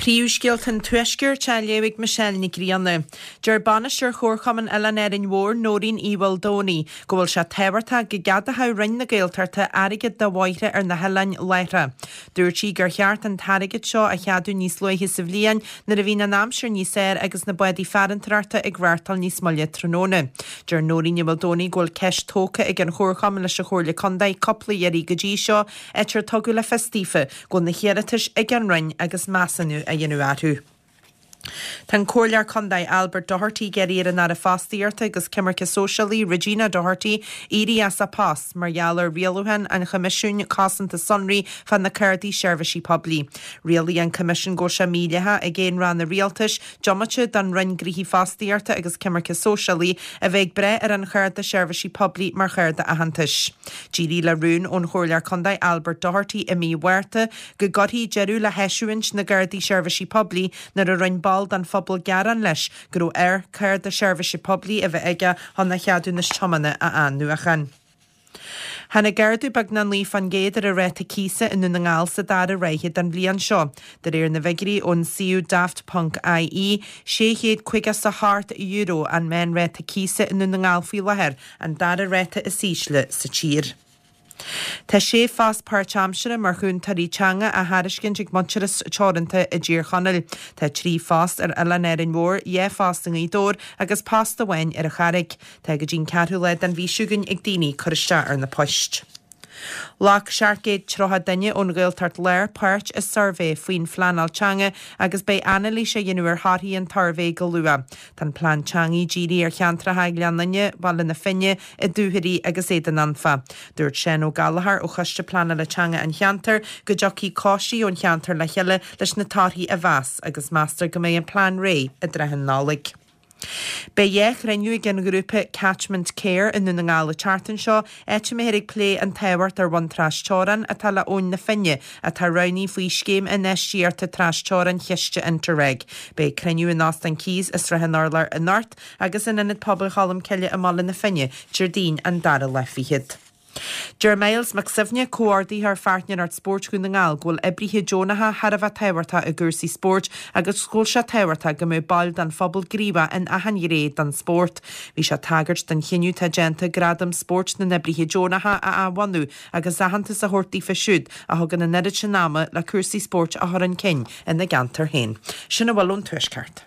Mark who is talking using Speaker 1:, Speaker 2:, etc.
Speaker 1: Príomhscéalta an Tuaiscirt á léamh ag Michelle Nic Grianna. Deir bainisteoir Chomharchumann Oileán Árainn Mhór, Nóirín Uí Mhaoldomhnaigh, go bhfuil sé tábhachtach go gceadódh Roinn na Gaeltachta airgead do bhóithre ar na hoileáin láithreach. Dúirt sí gur cheart an t-airgead seo a cheadú níos luaithe sa bhliain nuair a bhíonn an aimsir níos fearr agus na bádaí farantóireachta ag reáchtáil níos moille tráthnóna. Deir Nóirín Ní Mhaoldomhnaigh go bhfuil ceist tógtha ag an Chomharchumann leis an Chomhairle Contae cúpla iarraidh go dtí seo, áit ar tugadh le fios daofa go bhfuil na hiarratais ag an Roinn agus measúnú á dhéanamh orthu. Tá an Comhairleoir Contae Albert Doherty ag iarraidh ar an Aire Fostaíochta agus Coimirce Sóisialaí Regina Doherty éirí as a post mar gheall ar rialúchán an Choimisiúin Cosanta Sonraí fá na cártaí seirbhísí poiblí. Rialaigh an Coimisiún go bhfuil sé mídhleathach ag aon ranna rialtais, diomaite den Roinn Gnoithí Fostaíochta agus Coimirce Sóisialaí, a bheith ag brath ar an chárta seirbhísí poiblí mar chárta aitheantais. D'éirigh le rún ón Chomhairleoir Contae Albert Doherty i mí Mhárta go gcuirfí deireadh le heisiúint na gcártaí seirbhísí poiblí nuair a rinne ball den phobal gearán leis go raibh air cárta seirbhíse poiblí a bheith aige chun a cheadúnas tiomána a athnuachan. Tháinig ardú beagnach 9% ar an ráta cíosa i nDún na nGall sa dara ráithe den bhliain seo. De réir na bhfigiúirí ón suíomh Daft ponc ie, €658 an meánráta cíosa i nDún na nGall faoi láthair, an dara ráta is ísle sa tír. Tá sé phost páirtaimseartha mar chúntóirí teanga á thairiscint ag Muintearas Teoranta i dTír Chonaill. Tá 3 phost ar Oileán Árainn Mhór, 2 phost i nGaoth Dobhair agus post amháin ar an Charraig. Tá go dtí'n ceathrú lá den mhí seo chugainn ag daoine cur isteach ar na poist. Ghlac 730 duine ón Ghaeltacht Láir páirt i suirbhé faoin phleanáil teanga agus beidh anailís á dhéanamh ar thorthaí an tsuirbhé go luath. Tá an plean teanga dírithe ar cheantracha Ghleann Fhinne, Baile na Finne, Ó Dúchoraidh agus Éadan Anfa. Dúirt Seán Ó Gallchóir ó Choiste Pleanála Teanga an cheantair go dtiocfaidh coistí ón cheantar le chéile leis na torthaí a mheas agus meastar go mbeidh an plean réidh i dtrátha na Nollag. Beidh dhá chruinniú ag an ghrúpa Catchment Care i nDún na nGall an tseachtain seo, áit a mbeifear ag plé an tábhacht ar bhun tras-teorann atá le Abhainn na Finne, atá roghnaithe faoi Scéim Infheistíochta Tras-Teorann Chiste Interreg. Beidh cruinniú in Óstán Keys i Srath an Urláir anocht agus in Ionad Pobail Cholmcille i mBaile na Finne Déardaoin an dara lá fichead. Deir Myles Mac Suibhne, Comhordaitheoir Pháirtnéireacht Spóirt Dhún na nGall, go bhfuil oibrithe deonacha thar a bheith tábhachtach i gcúrsaí spóirt agus go bhfuil sé tábhachtach go mbeadh baill den phobal gníomhach in achan ghné den spórt. Bhí sé ag tagairt don chinneadh atá déanta Gradam Spóirt na nOibrithe Deonacha a athbhunú agus aitheantas a thabhairt daofa siúd a thugann an oiread sin ama le cúrsaí spóirt a chur chun cinn ina gceantar féin. Sin a bhfuil ón Tuaisceart.